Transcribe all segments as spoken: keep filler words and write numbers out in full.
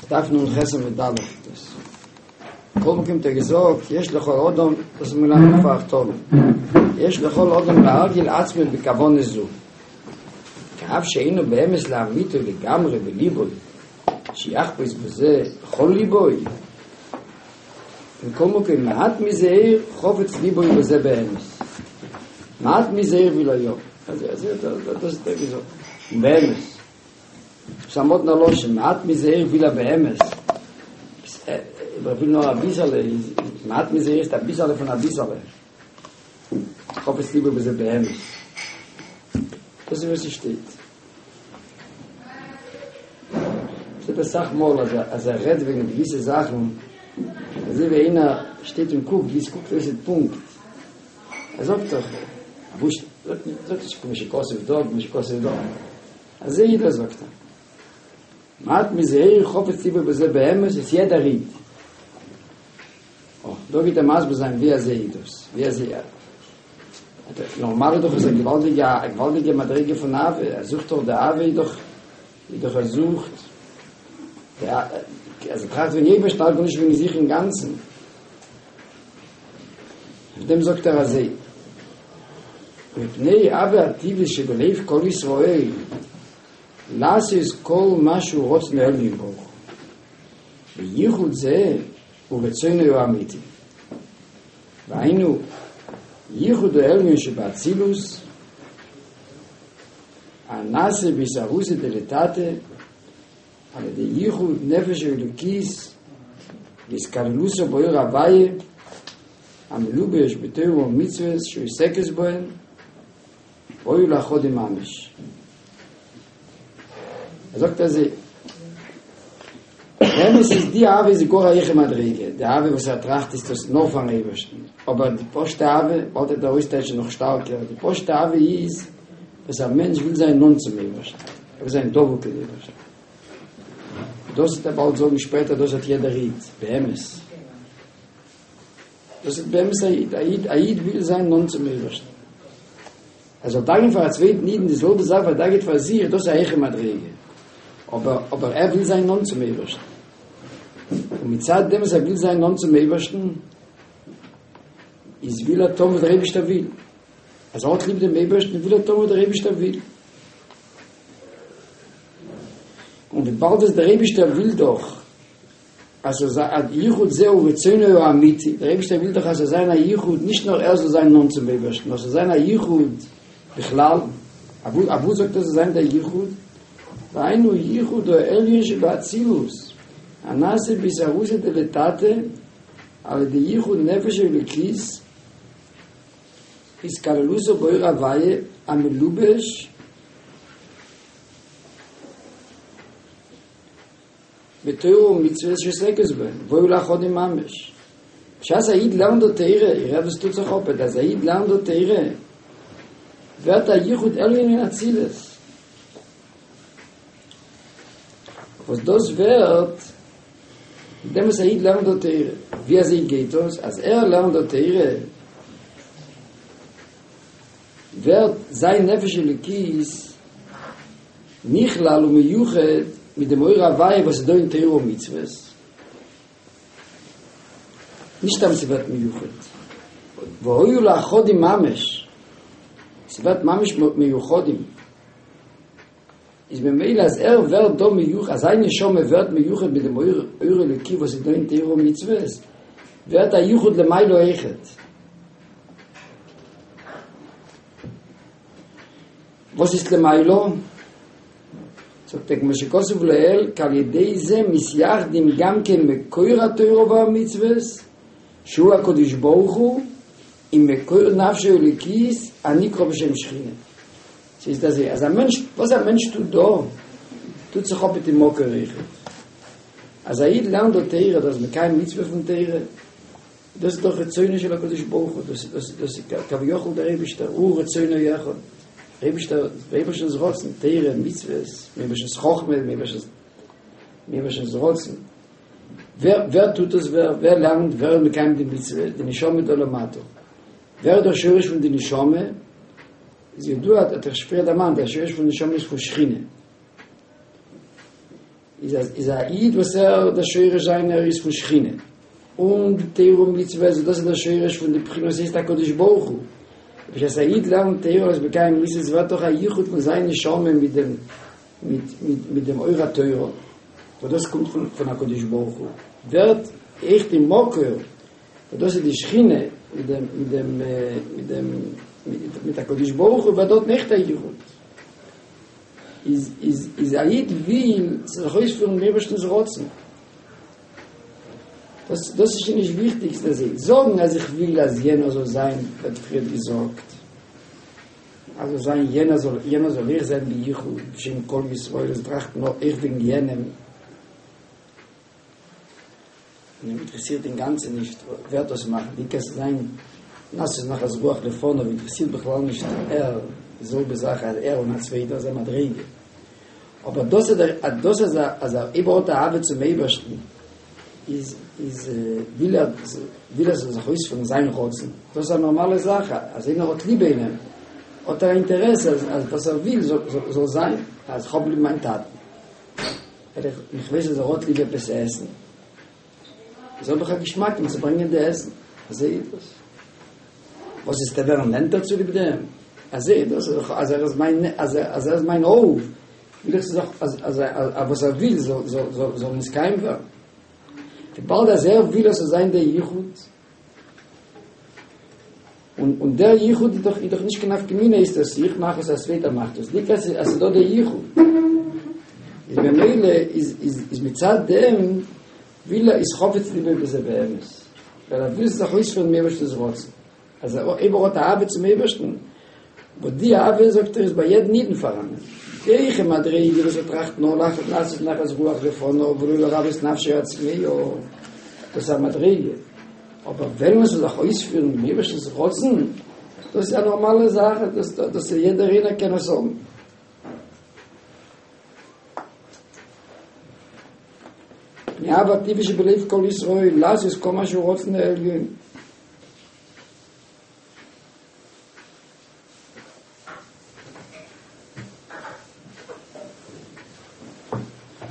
דף נ"ח עמוד א' דאס כל מקום האט ער געזאגט יש לכל אדם דאס איז מלמד פאר יש לכל אדם להרגיל עצמו בכוונה זו כי אף שאינו באמת לאמיתו לגמרי בליבו שיחפוץ בזה בכל ליבו מכל מקום מעט מזה חפץ ליבו בזה באמת מעט מזה ולא יום אז אז דאס האט ער געזאגט באמת ס'א מאדנע לשון מעט מזה וויל ער באמת ער וויל נאר אביסעלע מעט מזה איז אביסעלע פון אביסעלע חפץ ליבו בזה באמת דאס איז וואס שטייט ס'איז אסאך מאל אז אז ער רעדט וועגן געוויסע זאכן אזוי ווי איינער שטייט און קוקט ווי עס קוקט אויס איז פונקט ער זאגט דאך וואס זאגט זאגט נישט כמו שכתוב דא כמו שכתוב דא אזוי יעדער זאגט ער מעט מזה חפץ ליבו בזה באמת איז יעדער איד או דא גייט ער מסביר זיין ווי אזוי איז דאס ווי אזוי נארמאל איז דאך עס א געוואלדיגע א געוואלדיגע מדריגה פון אהבה ער זוכט דאך די אהבה איז דאך איז דאך ער זוכט אז ער טראכט וועגן אייבערשטן טראכט נישט וועגן זיך אינגאנצן אויף דעם זאגט ער אזוי מפני אהבה הטבעית שבלב כל ישראל לעשות כל מה שהוא רצון העליון ברוך הוא וייחוד זה הוא רצונו האמיתי והיינו ייחוד העליון שבאצילות הנעשה באתערותא דלתתא על ידי ייחוד נפש האלוקית והתכללותה באור הוויה המלובש בתורה ומצוות שעוסקת בהן והיו לאחדים ממש. ער זאגט אזוי, באמת איז די אהבה איז גאר א הויכע מדריגה, די אהבה וואס ער טראכט איז דאס נאר פארן אייבערשטן, אבער די פשוטע אהבה, באלד וועט ער אויסטייטשן נאך שטארקער, די פשוטע אהבה איז וואס א מענטש וויל זיין נאנט צום אייבערשטן, ער וויל זיין דבוק אין אייבערשטן. דאס וועט ער באלד זאגן שפעטער, דאס האט יעדער איד, באמת. דאס איז באמת א איד, א איד, א איד וויל זיין נאנט צום אייבערשטן. ער זאל דאגה'ן פאר א צווייטן אידן די זעלבע זאך וואס ער דאגה'ט פאר זיך, דאס איז א הויכע מדריגה. אבער אבער ער וויל זיין נאנט צום אייבערשטן. און מצד דעם וואס ער וויל זיין נאנט צום אייבערשטן, איז וויל ער טון וואס דער אייבערשטער וויל. אז ער האט ליב דעם אייבערשטן, וויל ער טון וואס דער אייבערשטער וויל. און וויבאלד אז דער אייבערשטער וויל דאך אז ס'זאל זיין א יחוד זהו רצונו האמיתי, דער אייבערשטער וויל דאך אז ס'זאל זיין א יחוד, נישט נאר ער זאל זיין נאנט צום אייבערשטן, נאר ס'זאל זיין א יחוד בכלל, אוואו זאגט ער זאל זיין דער יחוד? והיינו יחוד העליון שבאצילות, הנעשה באתערותא דלתתא, על ידי יחוד נפש האלוקית, התכללותה באור הוויה המלובש בתורה ומצוות שעוסקת בהן, והיו לאחדים ממש. בשעת א איד לערנט די תורה, איר הערט וואס טוט זיך אפ, אז א איד לערנט די תורה, ווערט א יחוד עליון אין אצילות. וואס דאס ווערט מיט דעם וואס א איד לערנט די תורה. ווי אזוי גייט דאס? אז ער לערנט די תורה, ווערט זיין נפש אלוקית נכלל ומיוחד מיט דעם אור הוויה וואס איז דא אין תורה ומצוות, נישט סתם ס'ווערט מיוחד, והיו לאחדים ממש, ס'ווערט ממש מיוחדים, איז ממילא אז ער ווערט דא מיוחד, אז זיין נשמה ווערט מיוחד מיט דעם אור אלוקי וואס איז דא אין תורה ומצוות, ווערט א יחוד למעלה אויכעט. וואס איז למעלה? זאגט ער כמו שכתוב לעיל כי על ידי זה מתייחדים גם כן מקור התורה והמצוות שהוא הקדוש ברוך הוא עם מקור נפשו האלוקית הנקרא בשם שכינה. ס'איז אזוי אז א מענטש, וואס א מענטש טוט דא, טוט זיך אפ מיט די מקור אויכעט. אז א איד לערנט דא תורה, דאס איז מקיים מצוה פון תורה, דאס איז דאך רצונו של הקדוש ברוך הוא, דאס דאס דאס איז כביכול דער אייבישטער, הוא ורצונו אחד, אייבישטער, דער אייבערשטנ'ס רצון, תורה, מצוות, דעם אייבערשטנ'ס חכמה, דעם אייבערשטנ'ס, דעם אייבערשטנ'ס רצון. ווער ווער טוט דאס, ווער ווער לערנט, ווער איז מקיים די מצוה, די נשמה דא למטה. ווער איז דער שורש פון די נשמה? איז ידוע, האט איך פריער דערמאנט, דער שורש פון נשמה איז פון שכינה. איז אז איז א איד וואס ער דער שורש זיינער איז פון שכינה, און די תורה ומצוות דאס איז דער שורש פון די בחינה וואס הייסט הקדוש ברוך הוא, בשעת א איד לערנט תורה און איז מקיים מצוות ווערט דאך א יחוד פון זיין נשמה מיט דעם מיט מיט מיט דעם אור התורה, וואס דאס קומט פון פון הקדוש ברוך הוא, ווערט אויך די מקור וואס דאס איז די שכינה מיט דעם מיט דעם מיט דעם מיט הקדוש ברוך הוא ווערט דארט אויכעט א יחוד. איז איז איז א איד וויל זיך אויספירן דעם אייבערשטנ'ס רצון. דאס דאס איז שוין נישט וויכטיג אז זיי זאגן אז איך וויל אז יענער זאל זיין ווערט פריער געזאגט אז זאל זיין יענער זאל יענער זאל אויך זיין ביחוד בשם כל ישראל עס טראכט נאר איך וועגן יענעם און אים אינטערעסירט אינגאנצן נישט ווער דאס מאכט די קענסט זיין לעשות נחת רוח לפניו אינטערעסירט בכלל נישט ער די זעלבע זאך אז ער און א צווייטער איז א מדריגה אבער דאס איז דער דאס אז אז אויב ער האט אהבה צום אייבערשטן איז איז וויל ער וויל ער זאל זיך אויספירן זיין רצון דאס איז א נארמאלע זאך אז איינער האט ליב איינעם האט ער א אינטערעס אז אז וואס ער וויל זאל זאל זיין אז איך האב ליב מיין טאטן איך ווייס אז ער האט ליב עפעס עסן איז האב איך א געשמאק אים צו ברענגען די עסן אזוי איז דאס וואס איז דער ווערן נענטער צוליב דעם אזוי איז דאס אז ער איז מיין אז ער איז מיין אהוב וויל איך זאך אז אז וואס ער וויל זאל זאל זאל זאל נתקיים ווערן וויבאלד אז ער וויל אז ס'זאל זיין דער ייחוד און און דער ייחוד איז דאך איז דאך נישט קיין נפקא מינה איז דאס איך מאך עס א צווייטער מאכט עס נישט אז ס'איז דא דער ייחוד איז במילא איז איז איז מצד דעם וויל ער איז חפץ ליבו בזה באמת ווייל ער וויל זיך אויספירן דעם אייבערשטנ'ס רצון אז ער אויב ער האט אהבה צום אייבערשטן וואס די אהבה זאגט ער איז ביי יעדן אידן פאראנען די מדריגה וואס ער טראכט נאר לעשות לעשות נחת רוח לפניו ולא לרוות נפשו הצמאה דאס איז א מדריגה אבער ווען מען זאל זיך אויספירן דעם אייבערשטנ'ס רצון דאס איז א נארמאלע זאך דאס דאס יעדער איינער קען עס האבן מאהבה טבעית שבלב כל ישראל לעשות כל מה שהוא רצון העליון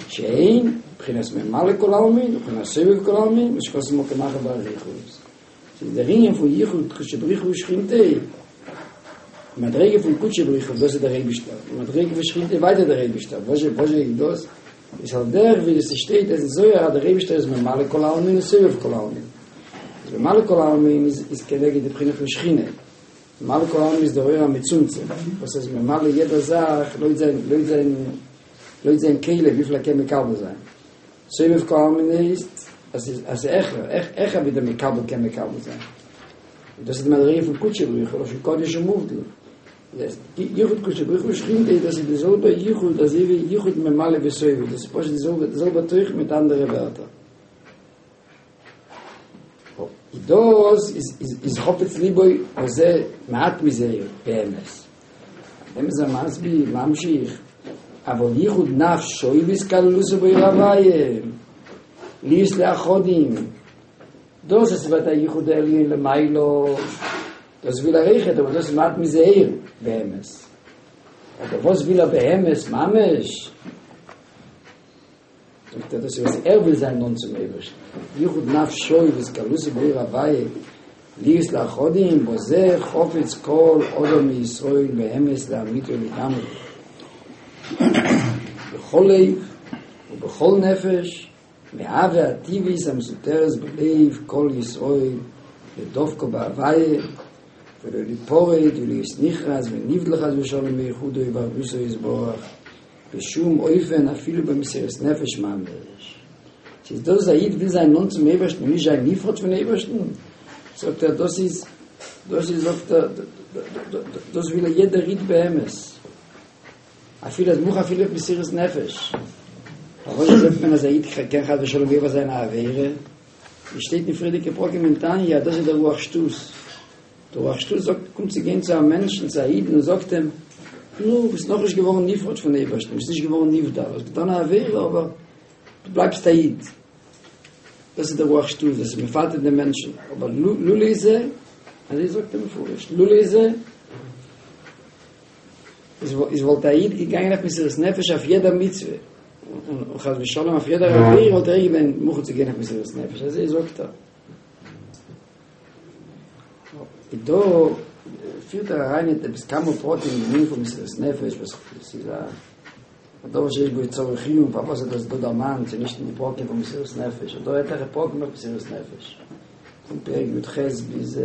שהן בחינת ממלא כל עלמין ובחינת סובב כל עלמין מה שכתוב במקום אחר באריכות ס'איז דער ענין פון יחוד קודשא בריך הוא ושכינתיה מדריגה פון קודשא בריך הוא דאס איז דער אייבישטער מדריגה פון שכינתיה ווייטער דער אייבישטער וואס וואס איז דאס איז על דרך ווי עס שטייט אין זוהר אז דער אייבישטער איז ממלא כל עלמין און סובב כל עלמין איז ממלא כל עלמין איז איז כנגד די בחינה פון שכינה ממלא כל עלמין איז דער אור המצומצם וואס איז ממלא יעדער זאך לויט זיין לויט זיין לויט זיין כלי וויפיל ער קען מקבל זיין סובב כל עלמין איז אז איז אז העכער העכער ווי דער מקבל קען מקבל זיין דאס איז די מדריגה פון קודשא בריך הוא לשון קודש ומובדל דאס יחוד קודשא בריך הוא ושכינתיה דאס איז די זעלבע יחוד אזוי ווי יחוד ממלא וסובב דאס איז פשוט די זעלבע די זעלבע תוכן מיט אנדערע ווערטער דאס איז איז איז חפץ ליבו וזה מעט מזה באמת דעם איז ער מסביר ממשיך אבל יחוד נפשו בהתכללותו באור הוויה להיות לאחדים דאס איז ווערט א יחוד עליון למעלה דאס וויל ער אויכעט אבער דאס איז מעט מזה אור באמת אבער וואס וויל ער באמת ממש זאגט ער דאס איז וואס ער וויל זיין נאנט צום אייבערשטן יחוד נפשו בהתכללותו באור הוויה להיות לאחדים בזה חפץ כל אדם מישראל באמת לאמיתו לגמרי בכל לב ובכל נפש מאהבה הטבעית המסותרת בלב כל ישראל לדבקה בהוויה ולא ליפרד ולהיות נכרת ונבדל חס ושלום מייחודו ואחדותו יתברך בשום אופן אפילו במסירת נפש ממש. ס'איז דאס אז א איד וויל זיין נאנט צום אייבערשטן און נישט זיין נפרד פון אייבערשטן, זאגט ער דאס איז דאס איז זאגט ער דאס וויל יעדער איד באמת, אפילו אז מוכן אפילו אויף מסירת נפש. פארוואס זאגט מען אז א איד קען חס ושלום עובר זיין א עבירה? ווי שטייט אין פריערדיגע פרקים אין תניא אז דאס איז דער רוח שטות. דער רוח שטות זאגט, קומט צו גיין צו א מענטשן, צו א אידן און זאגט אים, נו, ביסט נאכנישט געווארן נפרד פון אייבערשטן, ביסט נישט געווארן נבדל, האסט געטאן א עבירה, אבער דו בלייבסט א איד. דאס איז דער רוח שטות, דאס איז מפתה דעם מענטשן, אבער לולא זה, אזוי זאגט ער מפורש, לולא זה, איז וואלט א איד געגאנגען אויף מסירות נפש אויף יעדע מצוה, און חס ושלום אויף יעדער עבירה וואלט ער געווען מוכן צו גיין אויף מסירות נפש, אזוי זאגט ער. דא פירט ער אריין אין עפעס כמה פרטים אין ענין פון מסירות נפש וואס איז א דבר שיש בו צורך עיון, פארוואס האט ער עס דא דערמאנט, ס'איז נישט אין די פרקים פון מסירות נפש, ס'דא עטליכע פרקים אויף מסירות נפש, פון פרק י"ח ביז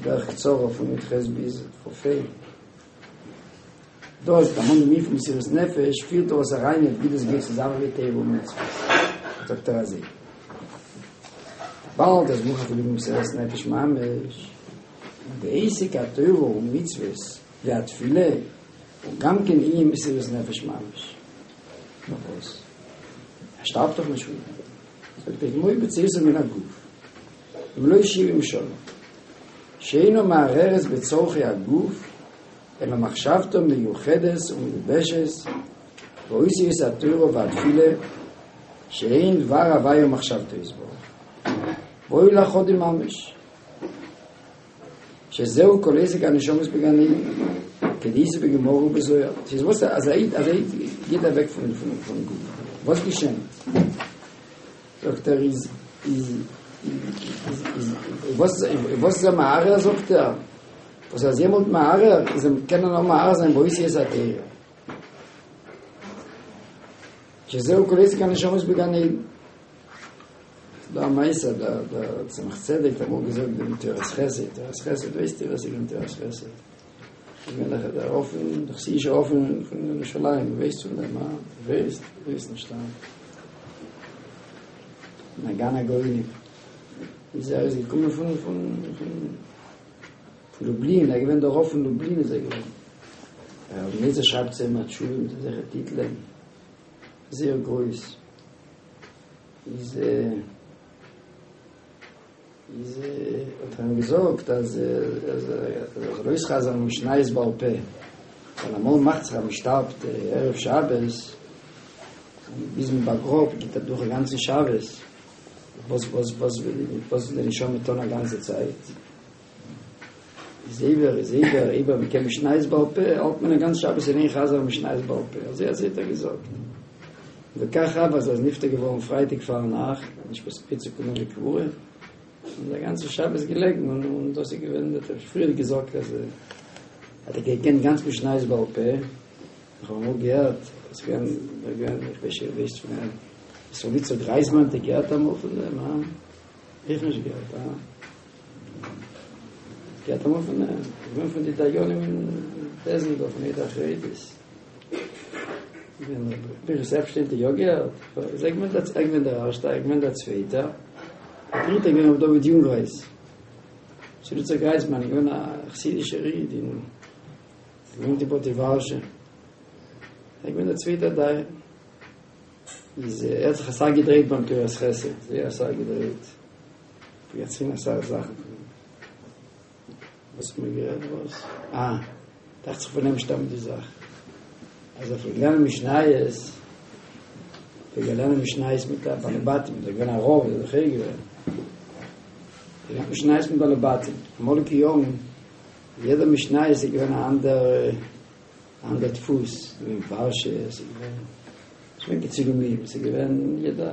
בערך קצרה פון י"ח ביז כ"ה. דא איז דערמאנט דעם ענין פון מסירות נפש, פירט ער עס אריין ווי דאס גייט צוזאמען מיט תורה ומצוות, זאגט ער אזוי, וויבאלד אז מוכרח ליגן מסירות נפש ממש, בעסק התורה ומצוות והתפילה, הוא גם כן ענין מסירות נפש ממש. פארוואס? ער שטארבט דאך נישט פון דעם. זאגט ער, כמו בצאתו מן הגוף, במלאות שבעים שנה, שאינו מהרהרת בצורכי הגוף, אלא מחשבתו מיוחדת ומגובשת באותיות התורה והתפילה, שהן דבר הוויה ומחשבתו יתברך. והיו לאחדים ממש. שזהו כל עסק הנשמות בגן עדן, כדאיתא בגמרא ובזוהר. ס'איז וואס אז א איד אז א איד גייט אוועק פון פון פון גוף, וואס געשענט? זאגט ער איז איז איז איז וואס וואס איז ער מהרהר זאגט ער וואס איז יעמאלט מהרהר איז ער קען ער נאר מהרהר זיין באותיות התורה שזהו כל עסק הנשמות בגן עדן דא א מעשה דער דער צמח צדק האט אמאל געזאגט דעם תורת חסד תורת חסד ווייסט איר וואס איז געווען תורת חסד איז געווען דער דער רב פון דער חסידישער רב פון פון ירושלים ווייסט פון דעם אה ווייסט ווייסט נישט אה נגן הגאונים איז ער איז געקומען פון פון פון פון לובלין ער איז געווען דער רב פון לובלין איז ער געווען דער אבן עזרא שרייבט צו אים א תשובה מיט אזעלכע טיטלען זייער גרויס איז איז האט ער אים געזאגט אז אז ער זאל אויסחזר'ן משניות בעל פה, ווייל אמאל מאכט זיך אז מען שטארבט ערב שבת, און ביז מען באגראבט גייט אדורך א גאנצן שבת, וואס וואס וואס וואס זאל די נשמה טון א גאנצע צייט? איז אייבער איז אייבער אייבער מען קען משניות בעל פה האלט מען א גאנץ שבת אין איין חזר'ן משניות בעל פה, אזוי אזוי האט ער געזאגט. וכך הוה אז ער איז נפטר געווארן פרייטאג פארנאכט, נישט פאספיעט צו קומען לקבורה, און דער גאנצע שבת געלעגן, און און דאס איז געווען, האט ער פריער געזאגט אז האט ער געקענט גאנץ משניות בעל פה, איך האב אמאל געהערט, עס איז געווען, געווען, איך ווייס איר ווייסט פון אים, ישראל יצחק גרייזמאן האט איר געהערט אמאל פון דעם, הא? איך נישט געהערט, הא? געהערט אמאל פון אים, געווען פון די דיינים אין בית דין דא פון עדה החרדית. פנחס עפשטיין האט יא געהערט? איז ער געווען דער ער געווען דער ערשטער, ער געווען דער צווייטער, דער דריטער געווען רבי דוד יונגרייז. ישראל יצחק גרייזמאן איז געווען א חסידישער איד אין געוואוינט אין פאדווארשע. ער געווען דער צווייטער דיין. איז ער האט זיך אסאך געדרייט ביים תורת חסד, זייער אסאך געדרייט. פלעגט ערציילן אסאך זאכן פון אים. וואס האט מען גערעדט וואס? אה, דאכט זיך פון אים שטאמט די זאך אז ער פלעגט לערנען משניות, פלעגט ער לערנען משניות מיט די בעלי בתים, איז ער געווען א רב, איז ער דאך געווען. געלערנט משניות מיט בעלי בתים, אמאליגע יארן, יעדער משניות איז געווען א אנדער אנדער דפוס, ס'איז געווען ווארשע, ס'איז געווען, ס'איז געווען כצילומים, ס'איז געווען יעדע,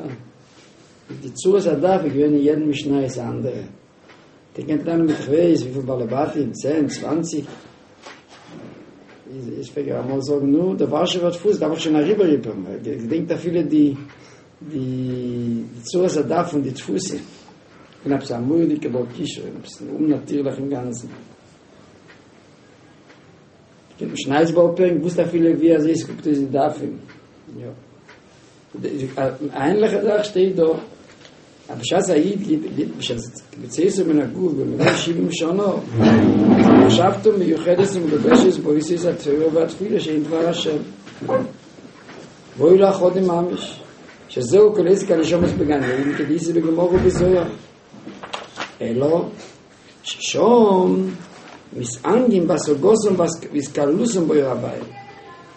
די צורת הדף איז געווען אין יעדן משניות א אנדערע. האט ער געקענט לערנען מיט כ'ווייס וויפיל בעלי בתים, צען, צוואנציג. איז איז פלעג ער אמאל זאגן, נו, דער ווארשעווער דפוס דארף איך שוין אריבערהיפערן, ער געדענקט אפילו די די צורת הדף פון די דפוסים. און עפעס א מורא'דיגע בעל כשרון, עפעס אומנאטירליך אינגאנצן. געקענט משניות בעל פה און געוואוסט אפילו ווי אזוי עס קוקט אויס די דפים. יא. א ענליכע זאך שטייט דא, אז בשעת א איד גיט גיט בשעת בצאתו מן הגוף במלאות שבעים שנה, מחשבתו מיוחדת ומגובשת באותיות התורה והתפילה שהן דבר השם. והיו לאחדים ממש, שזהו כל עסק הנשמות בגן עדן כדאיתא בגמרא ובזוהר. אלא ששם מתענגין בהשגתם והתכללותם באור הוויה.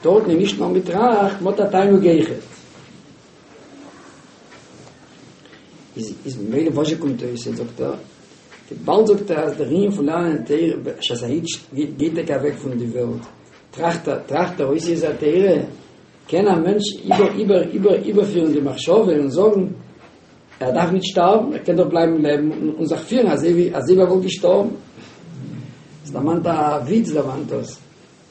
דארטן איז נישט נאר מ'טראכט, מ'האט א תענוג אויכעט. איז איז ממילא וואס זשע קומט אויס? זאגט ער, וויבאלד זאגט ער אז דער ענין פון לערנען תורה בשעת א איד גייט טאקע אוועק פון די וועלט, טראכט ער טראכט ער אותיות התורה, קען א מענטש איבער איבער איבער איבערפירן די מחשבה און זאגן ער דארף נישט שטארבן, ער קען דאך בלייבן לעבן און זיך פירן אזוי ווי אזוי ווי ער וואלט געשטארבן. עס דערמאנט א וויץ דערמאנט דאס,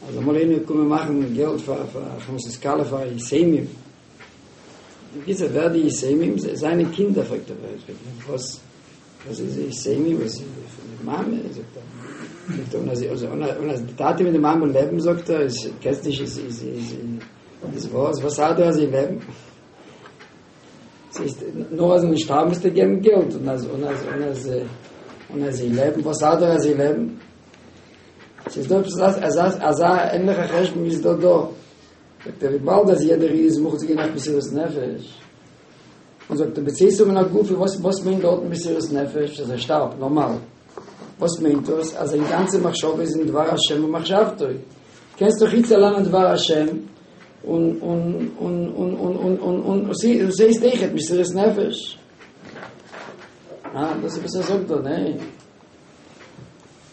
אז אמאל איינער איז געקומען מאכן געלט פאר פאר הכנסת כלה פאר יתומים, בקיצור ווער די יתומים? זיינע קינדער פרעגט ער וואס וואס איז יתומים וואס איז פון די מאמע זאגט ער זאגט ער און אז און אז די טאטע מיט די מאמע לעבן זאגט ער איז קענסט נישט איז איז איז איז וואס וואס ארט דיר אז זיי לעבן ס'איז נאר אז זיי שטארבן מוזטו געבן געלט און אז און אז און אז און אז זיי לעבן וואס ארט דיר אז זיי לעבן ס'איז דא עפעס אזא אזא ענליכע חשבון איז דא דא זאגט ער וויבאלד אז יעדער איד איז מוכן צו גיין אויף מסירות נפש און זאגט ער בצאתו מן הגוף וואס וואס מיינט דארט מסירות נפש אז ער שטארבט נארמאל וואס מיינט דאס אז זיין גאנצע מחשבה איז אין דבר השם ומחשבתו קענסט דאך איצט לערנען דבר השם און און און און און און און און ס'הייסט אויכעט מסירות נפש אה דאס איז וואס ער זאגט דא ניין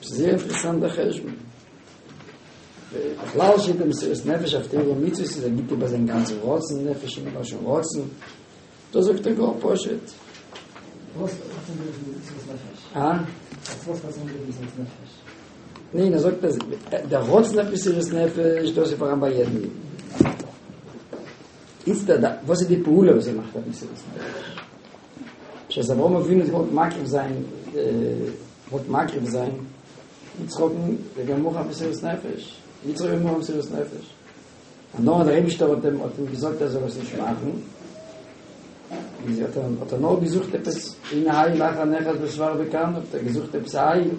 זייער אינטערעסאנט דער חשבון בכלל שטייט מסירות נפש אויף תורה ומצוות איז ער גיט איבער זיין גאנצן רצון נפש אין לשון רצון דא זאגט ער גאר פשוט וואס האט ער מיט מסירות נפש? אה? וואס האט ער מיט מסירות נפש? ניין, ער זאגט אז דער רצון אויף מסירות נפש, דאס איז פאראן ביי יעדן איד. איצט דער, וואס איז די פעולה וואס ער מאכט אויף מסירות נפש? בשעת אברהם אבינו האט געוואלט מקריב זיין, געוואלט מקריב זיין יצחק'ן, איז ער געווען מוכן אויף מסירות נפש. יצחק איז געווען מוכן אויף מסירות נפש. און נאר דער אייבישטער האט אים האט אים געזאגט ער זאל עס נישט מאכן. איז האט ער האט ער נאר געזוכט עפעס הנה איל אחר נאחז בשפך בקרניו, האט ער געזוכט עפעס א איל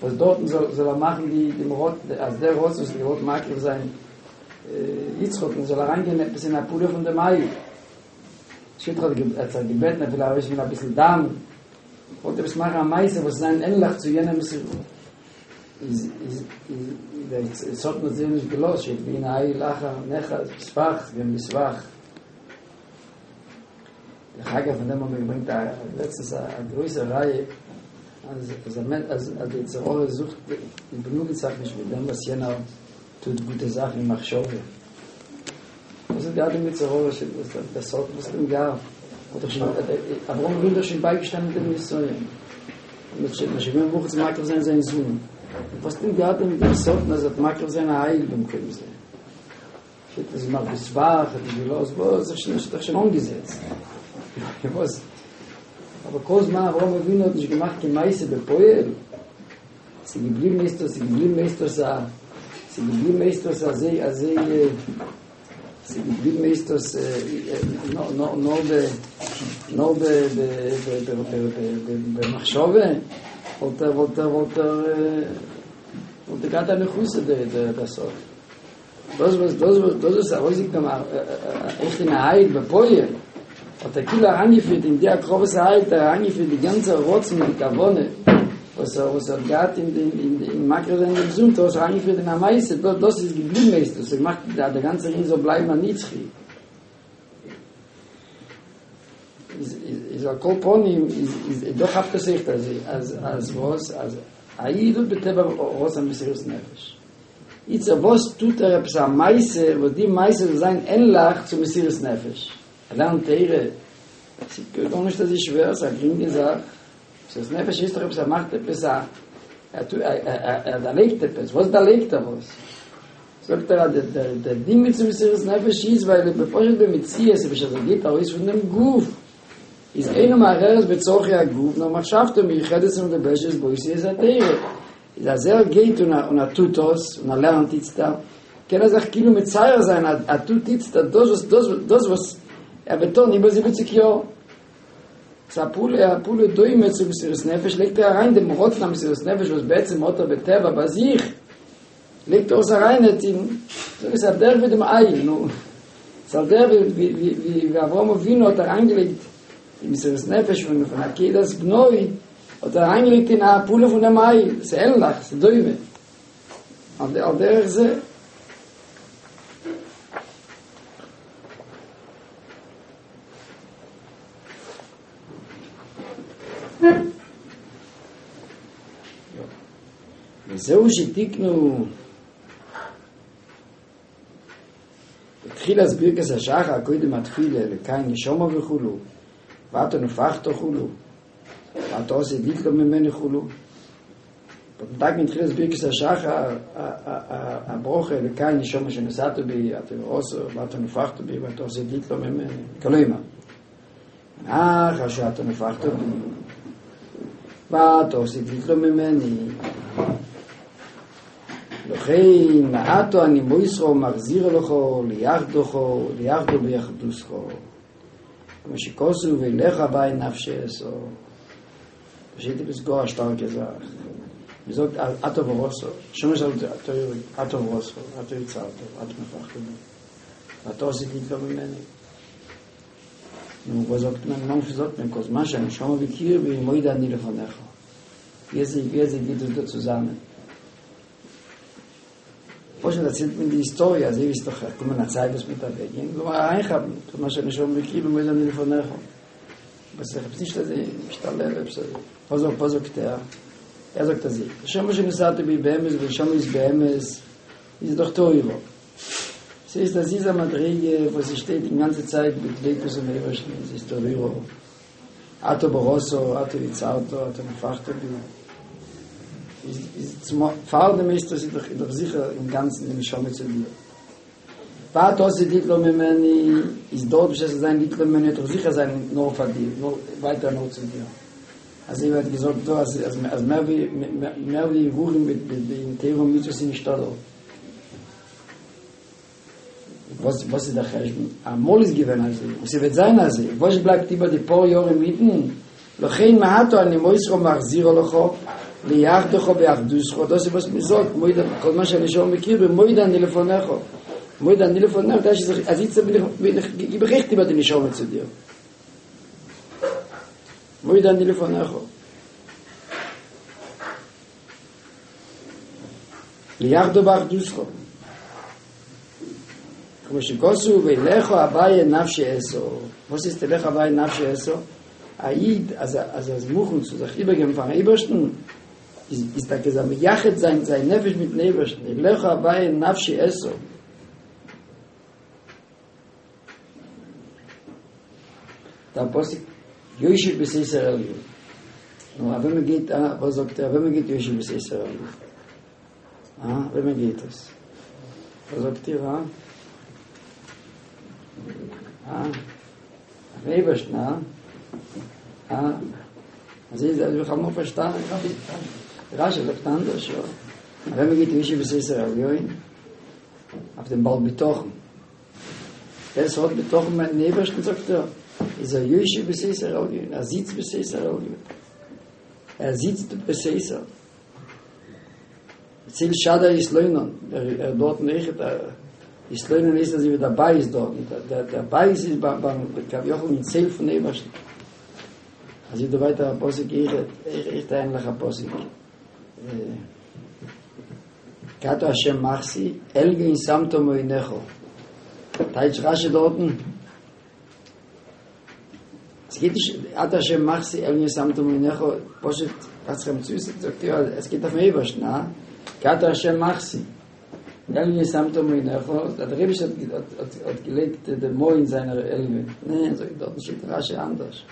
וואס דארטן זאל זאל ער מאכן די דעם רוט אז דער רצון וואס האט געוואלט מקריב זיין יצחק'ן זאל אריינגיין עפעס אין א פעולה פון דעם איל. שטייט ער האט זיך געבעטן ער וויל ארויסנעמען אביסל דם, וואלט עפעס מאכן א מעשה וואס זיין ענליך צו יענעם איז איז איז דער שטן האט זיי נישט געלאזט, שטייט והנה איל אחר נאחז בשפך געווען בשפך. דרך אגב פון דעם האבן מיר געברענגט א לעצטנס א גרויסע ראיה אז אז א מענטש אז אז די יצר הרע זוכט באגנוגנט זיך נישט מיט דעם וואס יענער טוט גוטע זאכן אין מחשבה. וואס האט געהאט דעם יצר הרע ש וואס דער דער שטן וואס האט אים געהאט האט דאך שוין אברהם אבינו איז דאך שוין בייגעשטאנען דעם נסיון און האט שוין שוין געווען מוכן צו מקריב זיין זיין זון וואס האט אים געהאט דעם דעם שטן אז ער האט מקריב זיין א איל במקום זה שטייט אז מאכט בשפך האט נישט געלאזט וואס זיך שוין האט שוין אנגעזעצט וואס אבער כל זמן אברהם אבינו האט נישט געמאכט קיין מעשה בפועל ס'איז געבליבן איז דאס געבליבן איז דאס א ס'איז געבליבן איז דאס אזוי אזוי ס'איז געבליבן איז דאס נאר נאר נאר ב נאר ב ב ב ב ב במחשבה וואלט ער וואלט ער וואלט ער וואלט ער געהאט א ניחותא דער דער דער סוף דאס וואס דאס וואס דאס איז ארויסגעקומען עכט אין א איל בפועל האט ער כאילו אריינגעפירט אין די הקרבת האיל האט ער אריינגעפירט די גאנצע רצון און די כוונה וואס ער וואס ער האט געהאט אין דעם אין אין מקריב זיין דעם זון האט ער עס אריינגעפירט אין א מעשה דאס דאס איז געבליבן איז דאס האט געמאכט אז דער גאנצער ענין זאל בלייבן א נצחי איז איז על כל פנים איז איז דא כאפט עס זיך אז אז אז וואס אז א איד האט בטבע רצון מסירות נפש איצט וואס טוט ער עפעס א מעשה וואס די מעשה זאל זיין ענליך צו מסירות נפש ער לערנט תורה ס'איז גארנישט אזוי שווער ס'איז א גרינגע זאך מסירות נפש איז דאך עפעס ער מאכט עפעס א ער טוט ער דערלייגט עפעס וואס דערלייגט ער וואס זאגט ער אז דער דער דין צו מסירות נפש איז ווייל בפשוט במציאות בשעת ער גייט ארויס פון דעם גוף איז אינו מהרהר בצרכי הגוף נאר מחשבתו מיוחדת ומדובשת באותיות התורה איז אז ער גייט און און ער טוט דאס און ער לערנט איצטער קען ער זיך כאילו מצייר זיין אז ער טוט איצטער דאס וואס דאס דאס וואס ער וועט טון איבער זיבעציק יאר ס'איז א פעולה א פעולה דומה צו מסירות נפש לייגט ער אריין דעם רצון המסירות נפש וואס בעצם האט ער בטבע ביי זיך לייגט ער עס אריין אין זאג עס על דרך ווי דעם איל נו ס'איז על דרך ווי ווי ווי אברהם אבינו האט אריינגעלייגט די מסירות נפש פון פון עקידת בנו האט ער אריינגעלייגט אין א פעולה פון דעם איל ס'איז ענליך ס'איז דומה על דרך זה וזהו שתיקנו בתחילת ברכת השחר קודם התפילה אלוקי נשמה וכולו ואתה נפחת וכולו ואתה עושה ליטלו ממני כולו. בדק מתחילת ברכת השחר הברכה אלוקי נשמה שנשאת בי אתה עושה ואתה נפחת בי ואתה עושה ליטלו ממני כלומר אחר שאתה נפחת בי ואתה עושה ליטלו ממני לכן מעטו אני מויסרו מחזיר לך ליחדוך ליחדו ביחדוסך כמו שכוסו ואליך בי נפשי אסו פשוט בסגור השטר כזך מזאת אתו ורוסו שום שאלת אתו ורוסו אתו יצרתו אתו נפחתו ואתו עשית ליטלו ממני נו וזאת מן וזאת מן כל זמן שאני שומע בקיר ומויד אני לפניך wie sie geht das zusammen פשוט erzählt mir die Historie, also ich weiß doch, kommen eine Zeit, was mit der Weg gehen, so mal reinhaben, so mal schon schon בקיר ומויד אני לפניך בס ich nicht, dass ich משתלל, פה זו, פה זו קטע. Er sagt das שם שנסעת בי באמס ושם איז באמס איז doch teuro. Sie ist das dieser Madrige, wo sie steht die ganze Zeit mit Lekus und Eberschen, sie ist teuro. Ato Boroso, Ato Itzarto, Ato Nefachto bi. Ist, ist zum Fahren ist das doch, doch sicher im Ganzen in Schame zu dir. Wat aus die Litlo ממני, ist dort, bis es sein Litlo ממני, doch sicher sein nur von dir, nur weiter nur zu dir. Also ich werde gesagt, so, als, als, als mehr wie, mehr wie Ruchen mit, mit, mit dem Theorum mit sind nicht da. Was, was ist der Cheshbon? Amol ist gewesen, also, und sie wird sein, also, was bleibt über die paar Jahre mitten? לכן מעטו אני מויסרו מחזירו לך, ליחדך ביחדוסך, das ist was mir sagt, כל מה שאני שומע מכיר, במויד אני לפניך. מויד אני לפניך, das ist, also jetzt bin ich, bin ich, ich berichte über die Neshama zu dir. מויד אני לפניך. ליחדו באחדוסך. כמו שכוסו ולכו הווי נפשי אסו. Was ist der Lech הווי נפשי אסו? A Yid, also, also das Muchen zu sich übergeben von Ebersten, ist, ist da gesagt, Jachet sein, sein Nefesh mit Ebersten. Lech הווי נפשי אסו. Da Apostel Yoshe besesser Elyon. No, aber man geht, ah, was sagt er, wenn man geht Yoshe besesser Elyon. Ah, wenn man geht es. Was sagt ihr, ah? Ah, Ebersten, ah? Ah, also ich, also ich habe noch verstanden, ich habe Rashi sagt anders, ja. Wenn man geht Yoshe besesser Elyon, auf dem Ball betochen. Der hat betochen mit dem Ebersten, sagt er, ist er Yoshe besesser Elyon, er sitzt besesser Elyon. Er sitzt besesser. Zil Shada ist Leunon, er, er dort nicht, er ist Leunon ist, dass er dabei ist dort. Der, der dabei ist beim, beim Kavjochel in Zil von Ebersten. Also ich da weiter Apostel, ich, ich, ich eigentlich Apostel. Kato Hashem Machsi, Elgin Samto Moinecho. Teitsch Rashi dorten. Es geht nicht, Ato Hashem Machsi, Elgin Samto Moinecho, Poshet, was kam zu, sagt ja, es geht auf den Ebersten, na? Kato Hashem Machsi. Elgin Samto Moinecho, der Rebbe hat, hat, hat gelegt, der Mo in seiner Elgin. Nein, so, dort steht Rashi anders.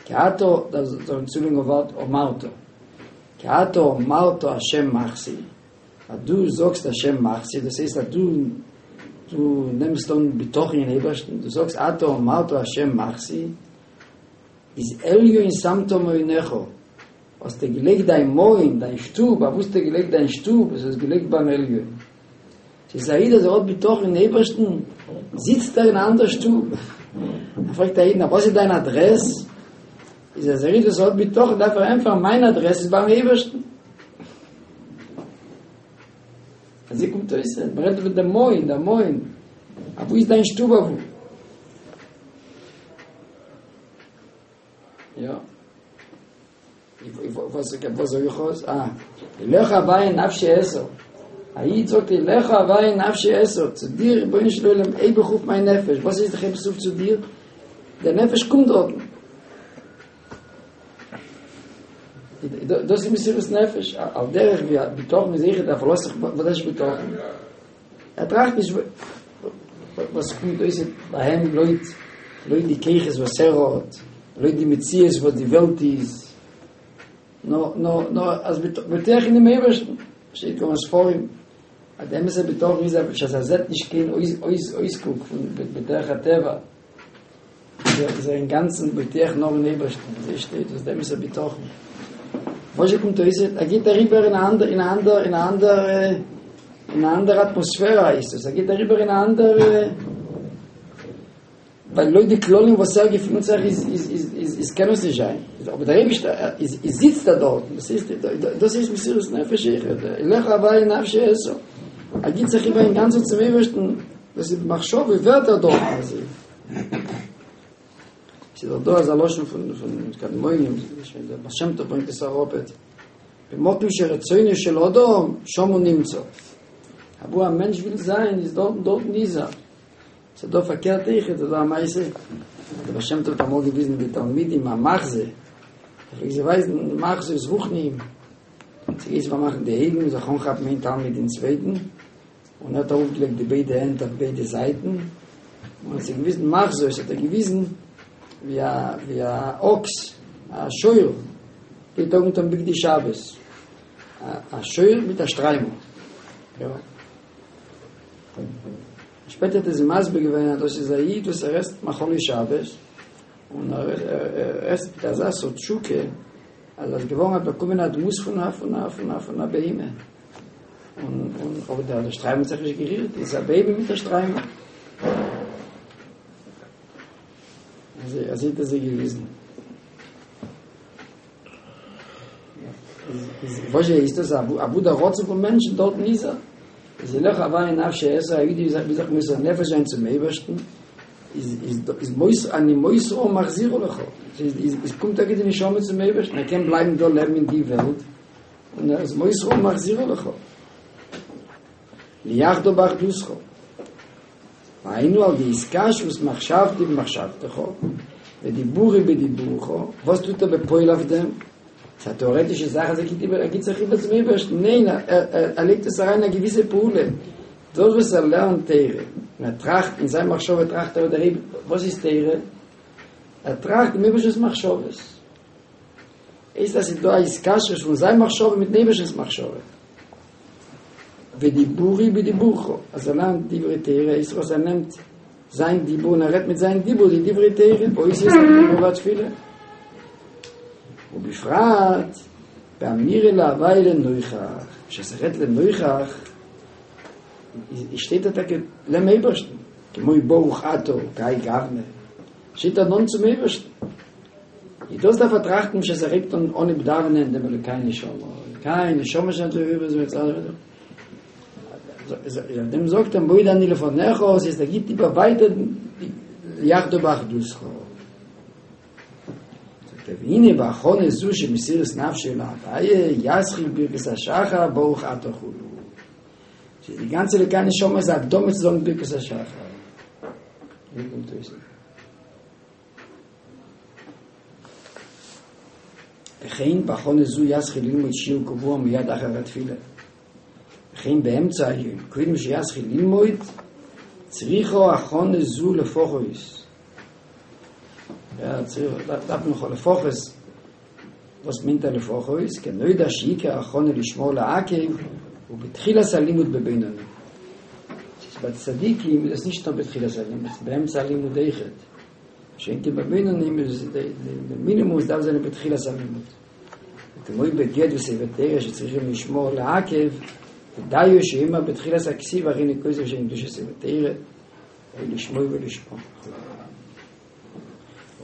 Kato, das ist ein Zulinger Wort, Omarto. Kato Omarto Hashem Machsi. Du sagst Hashem Machsi, das heißt, du, du nimmst dann Betochen in Ebersten, du sagst Ato Omarto Hashem Machsi, ist Elio in Samto Moinecho. Hast du gelegt dein Moin, dein Stub, aber hast du gelegt dein Stub, es ist gelegt beim Elio. Sie sagt, er hat Betochen in Ebersten, sitzt er in einer anderen Stub. Er fragt er ihn, was ist deine Adresse? Ist er sagt, das hat Betochen, darf er einfach, meine Adresse ist beim Ebersten. Also ich komme zu man redet mit dem Moin, der Moin. Aber wo ist dein Stub auf? Ja. Ich, was, was soll ich aus? Ah. Lech Havai nafshi eso. Ayid sagt, Lech Havai nafshi eso. Zu dir, bin ich lulem, ey, beruf mein Nefesh. Was ist der Chebsuf zu dir? Der Nefesh kommt dort. Das ist Mesiras Nefesh. Auf derech, wie Bitochen ist sicher, der verlässt sich, was ist Bitochen? Er tracht nicht, וואס קומט אויס ביי אים לויט לויט די כוחות וואס ער האט, לויט די מציאות וואס די וועלט איז, נאר נאר נאר אז בוטח אין דעם אייבערשטן, שטייט כמה ספרים אז די אמת'ע בטחון איז אז ער זעט נישט קיין אויס אויסקוק פון בדרך הטבע, איז ער אינגאנצן בוטח נאר אין אייבערשטן, אזוי שטייט דאס די אמת'ע בטחון. וואס קומט אויס, ער גייט אריבער אין א אנדער אין א אנדער אין א אנדער אין א אנדער אטמאספערע הייסט עס, ער גייט אריבער אין א אנדער, ווייל לויט די כללים וואס ער געפינט זיך איז איז איז איז איז קען עס נישט זיין, אבער דער אייבישטער איז איז זיצט ער דארט, דאס איז דאס איז מסירות נפש אויכעט, אליך הוי' נפשי אשא, ער גיט זיך איבער אינגאנצן צום אייבערשטן, דאס איז במחשבה ווערט ער דארט אזוי. ס'איז דאך דא אזא לשון פון פון קדמונים, דער בעל שם טוב ברענגט עס אראפעט, במקום שרצונו של אדם שם הוא נמצא. אוואו א מענטש וויל זיין איז דארטן דארטן איז ער. ס'איז דא פארקערט אויכעט, איז דא א מעשה, דער בעל שם טוב האט אמאל געוויזן די תלמידים א מחזה, ער פלעגט זיי ווייזן מחזות רוחניים, ס'גייט זיך פארמאכן די אויגן, זיך אנכאפן איין תלמיד אין צווייטן, און ער האט ארויפגעלייגט די ביידע הענט אויף ביידע זייטן, און האט זיי געוויזן מחזות, האט ער געוויזן ווי א ווי א אקס, א שור, גייט אנגעטון בגדי שבת, א שור מיט א שטריימל, יא. שפעטער האט ער זיי מסביר געווען אז דאס איז א איד וואס ער עסט מאכלי שבת, און ער עסט מיט אזא סארט תשוקה, אז ער איז געווארן האט באקומען א דמות פון א פון א פון א פון א בהמה. און און אבער דער שטריימל האט זיך נישט גערירט, איז א בהמה מיט א שטריימל. אזוי אזוי האט ער זיי געוויזן. וואס איז דאס אוואו דער רצון פון מענטשן דארטן איז ער. איז אליך הוי' נפשי אשא, א איד וויל זיך מוסר נפש זיין צום אייבערשטן, איז איז איז מוסר אני מוסרה ומחזירה לך, איז איז קומט טאקע די נשמה צום אייבערשטן, ער קען בלייבן דא לעבן אין די וועלט, און ער איז מוסרה ומחזירה לך, ליחדו באחדותך, והיינו על ידי התקשרות מחשבתי במחשבתך, ודיבורי בדיבורך, וואס טוט ער בפועל אויף דעם? ס'איז א טעארעטישע זאך אז ער גיט איבער, ער גיט זיך איבער צום אייבערשטן, ניין, ער לייגט עס אריין אין א געוויסע פעולה, דאס וואס ער לערנט תורה, און ער טראכט, אין זיין מחשבה טראכט ער דער אייבערשטער, וואס איז תורה? ער טראכט דעם אייבערשטנ'ס מחשבות. הייסט אז ס'איז דא א התקשרות פון זיין מחשבה מיט'ן אייבערשטנ'ס מחשבה. ודיבורי בדיבורך, אז ער לערנט דברי תורה, הייסט וואס ער נעמט זיין דיבור און ער רעדט מיט זיין דיבור די דברי תורה, באותיות הדיבור והתפילה. ובפרט באמירה להוי' לנוכח, בשעת ער רעדט לנוכח, שטייט ער טאקע לעבן אייבערשטן, כמו ברוך אתה כהאי גוונא, שטייט ער נאנט צום אייבערשטן. איז דאס דארף ער טראכטן בשעת ער הייבט אן אנהייב דאווענען דעם אלוקי נשמה, אלוקי נשמה שם טוב איבער זיי אויף דעם זאגט ער מודה אני לפניך, ס'הייסט ער גיבט איבער ווייטער ליחדו באחדותך. זאגט ער והנה בהכנה זו של מסירות נפשו להוויה יתחיל ברכות השחר ברוך אתה כו'. ס'איז די גאנצע אלוקי נשמה איז א הקדמה צו זאגן ברכות השחר. ווי קומט אויס? וכן בהכנה זו יתחיל ללמוד שיעור קבוע מיד אחר התפילה. וכן באמצע היום, קודם שיתחיל ללמוד, צריכה הכנה זו לפחות. יא, צריך, דארף מען לפחות, וואס מיינט א לפחות? כנודע שעיקר הכנה לשמה לעכב הוא בתחילת הלימוד בבינוני. ס'איז ביי צדיקים איז עס נישט נאר בתחילת הלימוד, ס'איז באמצע הלימוד אויכעט. מה שאין כן ביי בינונים איז די מינימום עס דארף זיין בתחילת הלימוד. וכמו בגט וספר תורה שצריכים לשמה לעכב, ודיו שיאמר בתחילת הכתיבה הריני כותב שם קדושת ספר תורה, או לשמו ולשמה.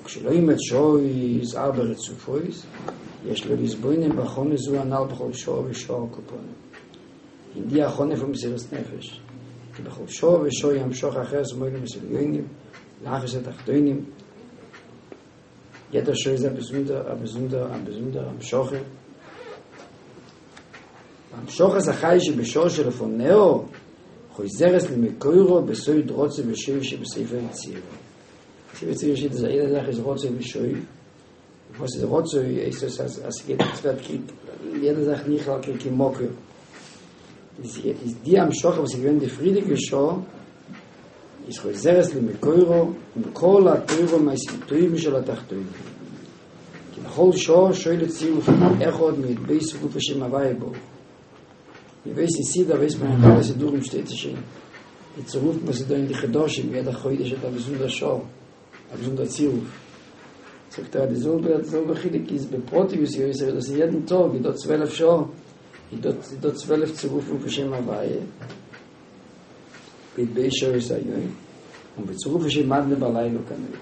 וכשלומד שעות ארבע רצופות, יש לו להתבונן בהכנה זו הנל בכל שעה ושעה על כל פנים. אין די הכנה פון מסירות נפש, כי בכל שעה ושעה היא המשכה אחרת מעולמות עליונים, להחיות התחתונים, יעדע שעה איז א באזונדער א באזונדער א באזונדער המשכה. והמשכת החיות שבשעה שלפניה חוזרת למקורה בסוד רצוא ושוב שבספר יצירה. ספר יצירה שטייט אז יעדע זאך איז רצוא ושוב, וואס איז רצוא הייסט עס אז אז ס'גייט עס ווערט קריג יעדע זאך נכלל כמקור, איז איז די המשכה וואס איז געווען די פריערדיגע שעה איז חוזרת למקורו עם כל התורה ומעשים טובים של התחתונים. כי בכל שעה שולט צירוף אחד מי"ב צירופי שם הוויה ברוך הוא. מ'ווייסט אין סידור ווייסט מען אין אלע סידורים שטייט עס שוין די צירופים וואס איז דא אין די חדשים יעדע חודש האט א באזונדער שעה א באזונדער צירוף זאגט ער אז די זעלבע די זעלבע חילוק איז בפרטיות יותר דאס איז יעדן טאג איז דא צוועלף שעה איז דא איז דא צוועלף צירופים פון שם הוויה בי"ב שעות היום און בצירוף שם אדני בלילה כנ"ל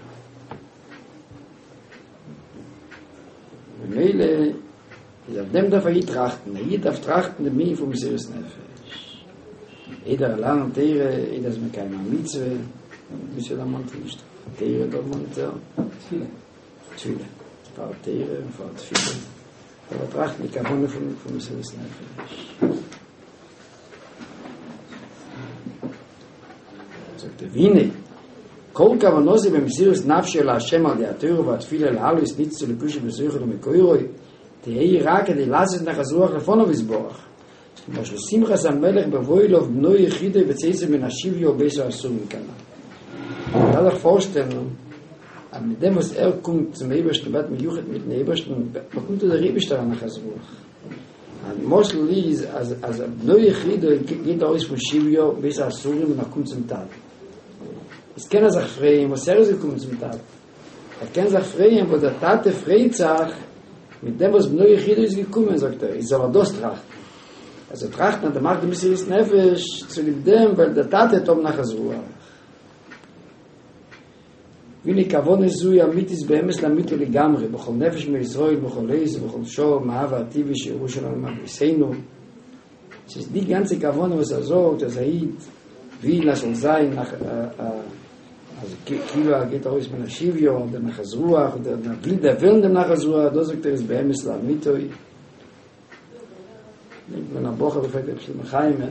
ממילא איז אויף דעם דארף א איד טראכטן, א איד דארף טראכטן דעם ענין פון מסירות נפש, איידער ער לערנט תורה, איידער ער איז מקיים א מצוה, מצוה דערמאנט ער נישט, תורה דערמאנט ער, תפילה, תפילה, פאר תורה און פאר תפילה, דארף ער טראכטן די כוונה פון פון מסירות נפש. זאגט ער והנה כל כוונתו במסירות נפשו לה' על ידי התורה והתפילה להעלות ניצוצות אלוקות שבתוכו למקורו תהא רק כדי לעשות נחת רוח לפניו יתברך, כמשל שמחת המלך בבוא אליו בנו יחידו בצאתו מן השביה ובית האסורים כנ"ל. מען דארף זיך פארשטעלן אז מיט דעם וואס ער קומט צום אייבערשטן ווערט מיוחד מיטן אייבערשטן, באקומט דער אייבערשטער א נחת רוח. א משל איז אז אז בנו יחידו גייט ארויס פון שביה בית האסורים און ער קומט צום טאטן. איז קען ער זיך פרייען וואס ער איז געקומען צום טאטן. ער קען זיך פרייען וואס דער טאטע פרייט זיך מיט דעם וואס בנו יחידו איז געקומען, זאגט ער, איז זאל ער דאס טראכטן. ער זאל טראכטן אז ער מאכט די מסירות נפש צוליב דעם ווייל דער טאטע וועט האבן נחת רוח. והנה כוונה זו היא אמיתית באמת לאמיתו לגמרי, בכל נפש מישראל בכל עת ובכל שעה מאהבה הטבעית שירושה לנו מאבותינו. ס'איז די גאנצע כוונה וואס ער זאגט אז א איד וויל אז ס'זאל זיין אז כאילו ער גייט ארויס מן השביה אדער נחת רוח אדער ער וויל דערווילן דעם נחת רוח, דאס זאגט ער איז באמת לאמיתו. נעמט מען א בחור פרעגט רבי שלמה חיים'ען,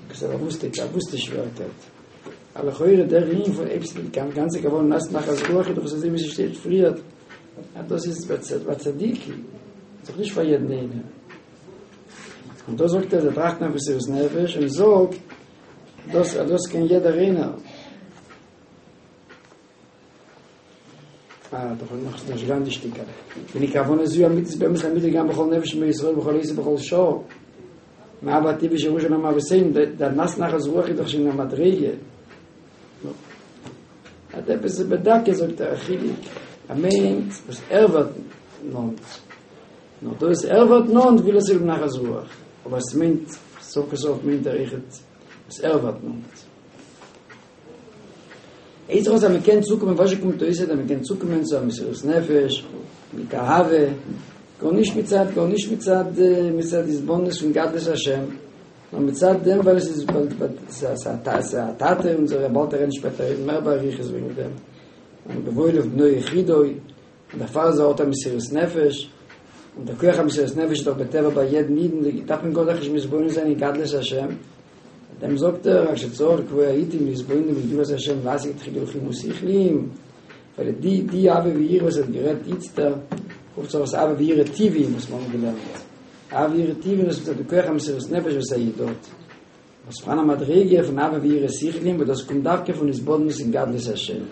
עפעס א באוואוסטע א באוואוסטע שווערקייט, אז לכאורה דער ענין פון עפעס די גאנצע כוונה לעשות נחת רוח איז דאך אזוי ווי ס'שטייט פריערט אז דאס איז ביי צדיקים, איז דאך נישט פאר יעדן איינעם. און דא זאגט ער זיי טראכטן אויף מסירות נפש און זאגט דאס אז דאס קען יעדער איינער. אה, דאך נאך נישט גאנץ די שטיקעלע. והנה כוונה זו אמיתית באמת לאמיתו גם בכל נפש מישראל בכל עת ובכל שעה. מאהבה הטבעית שירושה לנו מאבותינו, דער נעשה נחת רוח איז דאך שוין א מדריגה. נו. האט עפעס בדקות זאגט ער א חילוק. ער מיינט וואס ער ווערט נאנט. נאר דאס ער ווערט נאנט וויל ער צוליב נחת רוח. אבער עס מיינט, סוף כל סוף מיינט ער אויכעט וואס ער ווערט נאנט. איז אז מען קען צוקומען וואס קומט אויס אז מען קען צוקומען צו א מסירות נפש מיט אהבה גארנישט מצד גארנישט מצד מצד התבוננות פון גדלות השם נאר מצד דעם ווייל עס איז ס'איז א טאטע אונזערע באלד רעדן שפעטער מער באריכות וועגן דעם און בבוא אליו בנו יחידו און דערפאר איז ער האט א מסירות נפש און דער כח המסירות נפש איז דאך בטבע ביי יעדן אידן דארף מען גאר נישט מתבונן זיין אין גדלות השם דעם זאגט ער רק שצריך לקבוע עתים להתבונן בגדולת השם להשיג תחילה רוחניים ושכליים ווייל די די אהבה ויראה וואס האט גערעדט איצטער רופט זיך אויס אהבה ויראה טבעיים וואס מיר האבן געלערנט אהבה ויראה טבעיים דאס איז די כח המסירות נפש וואס א איד האט וואס פאראן א מדריגה פון אהבה ויראה שכליים וואס דאס קומט דווקא פון התבוננות אין גדלות השם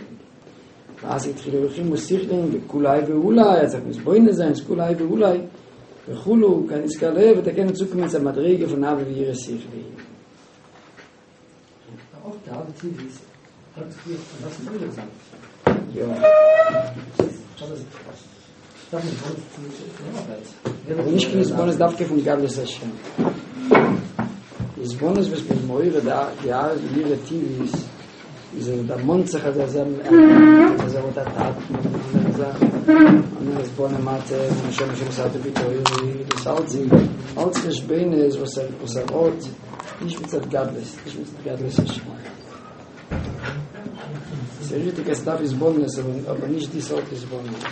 להשיג תחילה רוחניים ושכליים וכולי האי ואולי אז זיך מתבונן זיין כולי האי ואולי וכולו כנזכר לעיל וועט ער קענען צוקומען צו א מדריגה פון אהבה ויראה שכליים. אויך די אהבה טבעית האט זיך פריער פון דאס מעורר זיין. יא. אבער נישט קיין התבוננות דווקא פון גדלות השם. התבוננות וואס מ'איז מעורר די אהבה ויראה טבעית איז אז ער דערמאנט זיך אז ער אז ער האט א טאטן און אנדערע זאכן און ער איז בנים אתם השם אשר מסרת בי תורי דאס אלץ אלץ חשבונות וואס ער וואס ער האט נישט מצד גדלות נישט מצד גדלות השם. ס'איז ריכטיג אז ס'דארף התבוננות אבער נישט די סארט התבוננות.